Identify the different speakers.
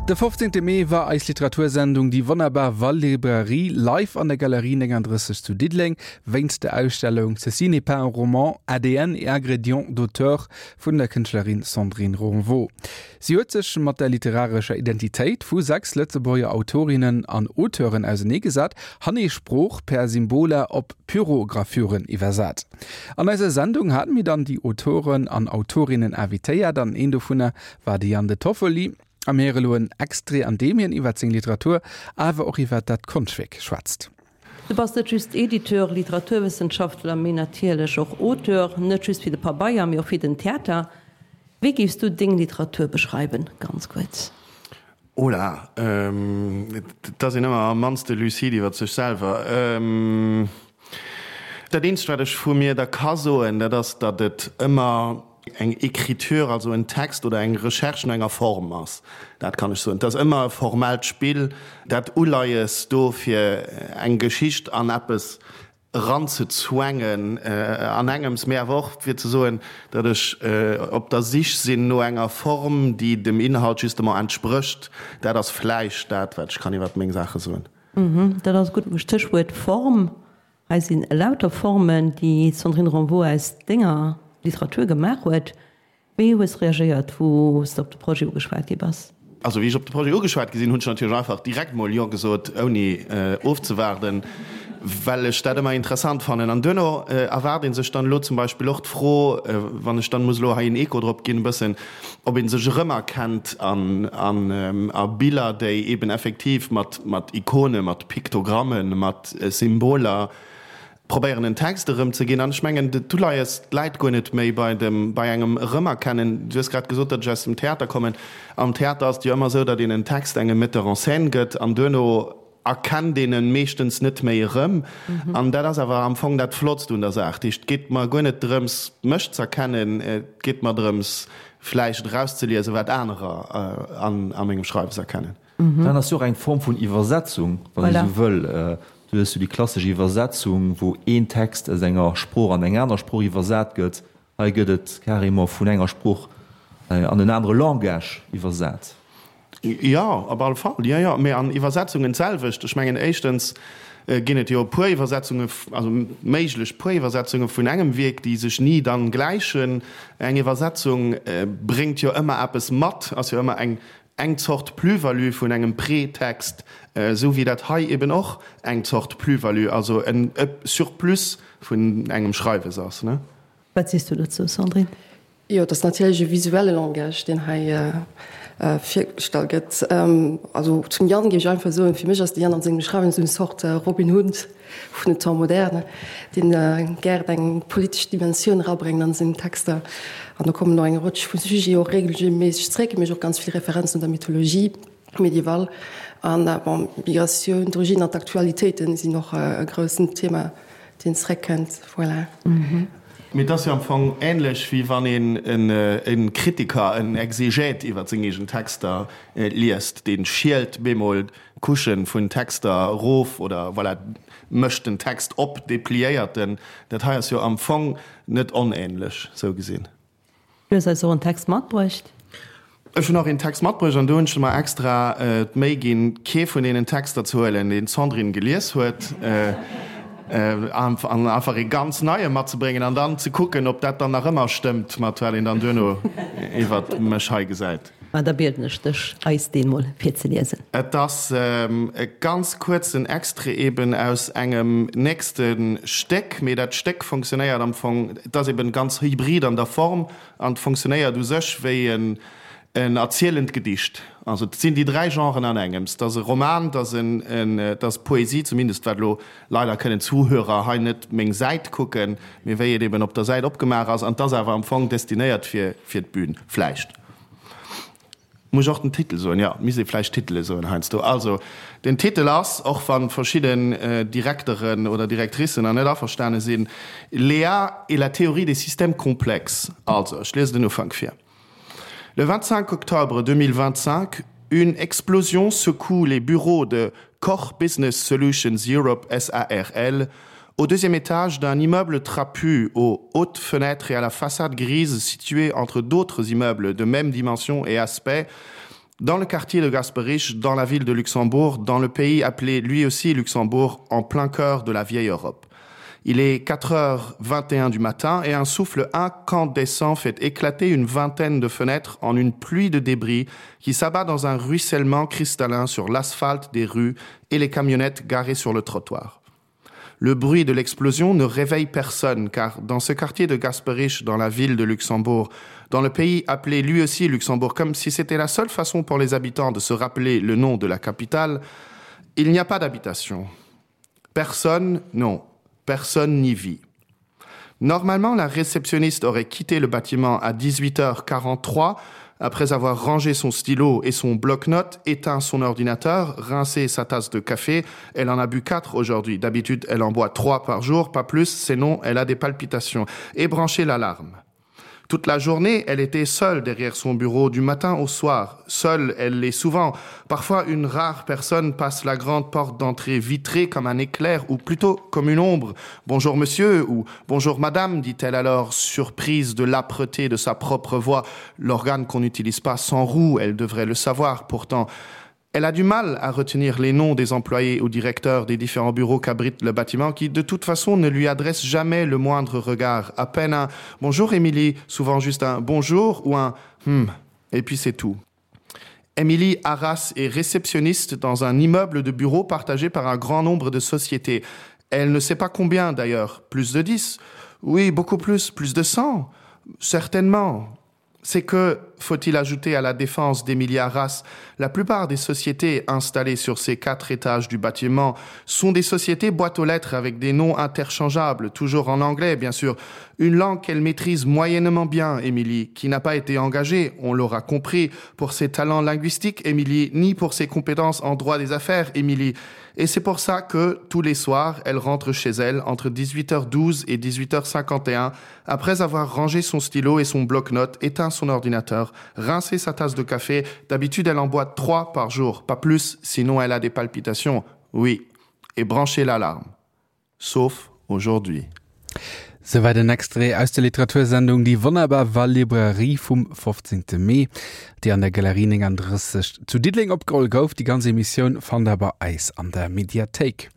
Speaker 1: De 15 Mee war eis Literatursendung Déi wonnerbar Wallibrairie live an der Galerie 39 zu Diddeleng wéinst der Ausstellung Ceci n'est pas un roman, ADN et ingrédients d'auteur vun der Kënschtlerin Sandrine Ronvaux. Si huet sech mat der literarescher Identitéit vu 6 Lëtzebuerger Autorinnen an Auteuren auseneegesat, hanee Sprooch per Symboler op Pyrogravüren iwwersat. An eiser Sendung haten mir dann déi Autoren an Autorinnen invitéiert an een dovunner war de Yann De Toffoli. A mir héiere lo en Extrait an deem hien iwwert seng Literatur awer och iwwert dat Konschtwierk schwätzt.
Speaker 2: Du bass net just Editeur, Literaturwëssenschaftler, mee natierlech och Auteur, net just fir de Pabeier, mee och fir den Theater. Wéi géifs du deng Literatur beschreiwen, ganz kuerz?
Speaker 3: Oh la, et ass een ëmmer am mannste lucide iwwer sech selwer. Dat eenzegt, wat ech vu mir da ka soen, dat ass, datt et ëmmer eng Écriture, also en Text oder eng Recherche no enger Form ass. Dat kann ech soen. Et ass ëmmer e formellt Spill, dat Uleies do fir eng Geschicht an eppes eranzezwängen an engems, mee awer och fir ze soen, datt ech op der Sich sinn no enger Form, déi dem Inhalt justement entsprécht. Dat ass vläicht dat, wat ech kann iwwer meng Saache soen.
Speaker 2: Dat ass e gutt Stéchwuert, Form. Hei sinn elauter Formen, déi d'Sandrine Renvaux aus denger Literatur gemaach huet. Wéi hues de reagéiert, wou s de op de Projet ugeschwat gi bass?
Speaker 3: Also wéi ech op de Projet ugeschwat gi sinn, hunn ech natierlech einfach direkt mol Jo gesot, ouni ofzewaarden, well ech dat ëmmer interessant fannen. An duerno erwaart ee sech dann elo zum Beispill och d'Fro, wann ech dann muss elo hei en Echo drop ginn e bëssen, ob ee sech erëmerkennt an a Biller, déi eben effektiv mat mat Ikone, mat Piktogrammen, mat Symboler probéieren en Text erëmzeginn. An ech mengen, d'Uleies läit guer net méi bei dem, bei engem Erëmerkennen. Du hues grad gesot, datt ech aus dem Theater kommen. Am Theater ass et jo ëmmer esou, datt een en Text engem Metteur en scène gëtt an duerno erkennt een en meeschtens net méi erëm. An dat ass awer am Fong dat Flottst un der Saach. Dat heescht, et geet mer guer net drëms, mech z'erkennen, et geet mer drëms, vläicht erauszeliesen, wat anerer a mengem Schreiwes erkennen.
Speaker 4: Dat ass jo och eng Form vun Iwwersetzung, wann ee sou wëll. Du hues jo déi klassesch Iwwersetzung, wou een Text aus enger Sprooch an eng aner Sprooch iwwersat gëtt. Hei gëtt et carrément vun enger Sprooch an en anere Langage iwwersat.
Speaker 3: Jo, op alle Fall, jo, jo. Mee an Iwwersetzungen d'selwecht. Ech mengen, éischtens ginn et jo e puer Iwwersetzunge, also méiglech puer Iwwersetzunge vun engem Wierk, déi sech ni dann gläichen. Eng Iwwersetzung bréngt jo ëmmer eppes mat, ass jo ëmmer eng eng Zort Plus-value vun engem Pretext, esou wéi dat hei eben och eng Zort Plus-value, also en Surplus vun engem Schreiwes ass.
Speaker 2: Wat sees du dozou, Sandrine?
Speaker 5: Jo, et ass natierlech e visuelle Langage, deen hei virgestallt gëtt. Also zum Yann géif ech einfach soen, fir mech ass de Yann an sengem Schreiwen esou eng Zort Robin Hood vun den Temps modernes, deen gären eng politesch Dimensioun erabréngt an seng Texter. An do kommen och eng Rëtsch vu Sujeten och regelméisseg zréck, mécht och ganz vill Referenzen un der Mythologie médiévale. An bon, d'Migratioun, d'Origine an d'Aktualitéiten sinn och e groussen Thema, deen zréckkënnt. Voilà.
Speaker 3: Mee et ass jo am Fong änlech, wéi wann een e Kritiker, en Exegète iwwer seng eegen Texter liest, dee schielt bemol Couchen vun Texter erof oder voilà, mécht den Text op, depliéiert en. Dat hei ass jo am Fong net onähnlech, sou gesinn.
Speaker 2: Du hues eis och en Text matbruecht.
Speaker 3: Ech hunn och een Text matbruecht an do hunn ech mer extra d'Méi ginn, kee vun deenen Texter ze huelen, deen d'Sandrine gelies huet, an einfach ee ganz neie matzebréngen an dann ze kucken, ob dat dann nach ëmmer stëmmt mat wat een dann duerno iwwert mech hei gesäit.
Speaker 2: Ma da bieden ech dech, eis deen mol virzeliesen.
Speaker 3: Et ass e ganz kuerzen Extrait eben aus engem nächste Stéck, mee dat Stéck fonctionnéiert am Fong, et ass eben ganz hybrid an der Form an et fonctionnéiert u sech wéi en erzielend Gedicht. Also et sinn déi dräi Genren an engems, et ass e Roman, et ass en, et ass Poesie, zumindest wat elo, leider kënnen d'Zuhörer hei net meng Säit kucken, mee wéi et eben op der Säit opgemaach ass an et ass awer am Fong destinéiert fir fir d'Bün vläicht. Muss ech och den Titel soen? Jo, misst ee vläicht Titele soen heiansdo. Also, den Titel ass, och wa verschidden Direkteren oder Directricen nach net averstane sinn, Léa et la théorie des systèmes complexes. Also, ech liesen den Ufank vir. Le 25 octobre 2025, une explosion secoue les bureaux de Koch Business Solutions Europe SARL au deuxième étage d'un immeuble trapu aux hautes fenêtres et à la façade grise située entre d'autres immeubles de même dimension et aspect. Dans le quartier de Gasperich, dans la ville de Luxembourg, dans le pays appelé lui aussi Luxembourg, en plein cœur de la vieille Europe. Il est 4h21 du matin et un souffle incandescent fait éclater une vingtaine de fenêtres en une pluie de débris qui s'abat dans un ruissellement cristallin sur l'asphalte des rues et les camionnettes garées sur le trottoir. Le bruit de l'explosion ne réveille personne car dans ce quartier de Gasperich dans la ville de Luxembourg, dans le pays appelé lui aussi Luxembourg comme si c'était la seule façon pour les habitants de se rappeler le nom de la capitale, il n'y a pas d'habitation. Personne, non, personne n'y vit. Normalement, la réceptionniste aurait quitté le bâtiment à 18h43 après avoir rangé son stylo et son bloc-notes, éteint son ordinateur, rincé sa tasse de café. Elle en a bu quatre aujourd'hui. D'habitude, elle en boit trois par jour, pas plus, sinon elle a des palpitations. Et branché l'alarme. Toute la journée, elle était seule derrière son bureau du matin au soir. Seule, elle l'est souvent. Parfois, une rare personne passe la grande porte d'entrée vitrée comme un éclair ou plutôt comme une ombre. Bonjour monsieur ou bonjour madame, dit-elle alors, surprise de l'âpreté de sa propre voix, l'organe qu'on n'utilise pas sans roue, elle devrait le savoir pourtant. Elle a du mal à retenir les noms des employés ou directeurs des différents bureaux qu'abrite le bâtiment qui, de toute façon, ne lui adresse jamais le moindre regard. À peine un bonjour Émilie, souvent juste un bonjour ou un hmm, et puis c'est tout. Émilie Arras est réceptionniste dans un immeuble de bureaux partagé par un grand nombre de sociétés. Elle ne sait pas combien d'ailleurs, plus de 10. Oui, beaucoup plus, plus de 100. Certainement. C'est que, faut-il ajouter à la défense d'Emilia Arras, la plupart des sociétés installées sur ces quatre étages du bâtiment sont des sociétés boîtes aux lettres avec des noms interchangeables, toujours en anglais bien sûr, une langue qu'elle maîtrise moyennement bien, Émilie, qui n'a pas été engagée, on l'aura compris, pour ses talents linguistiques, Émilie, ni pour ses compétences en droit des affaires, Émilie. Et c'est pour ça que, tous les soirs, elle rentre chez elle entre 18h12 et 18h51, après avoir rangé son stylo et son bloc-notes, éteint son ordinateur, rincé sa tasse de café. D'habitude, elle en boit trois par jour, pas plus, sinon elle a des palpitations. Oui, et branché l'alarme. Sauf aujourd'hui.
Speaker 1: Souwäit en Extrait aus der Literatursendung Déi wonnerbar Wallibrairie vum 15. Mee, déi an der Galerie 39 zu Diddeleng opgeholl gouf. Déi ganz Emissioun fannt der bei eis an der Mediathéik.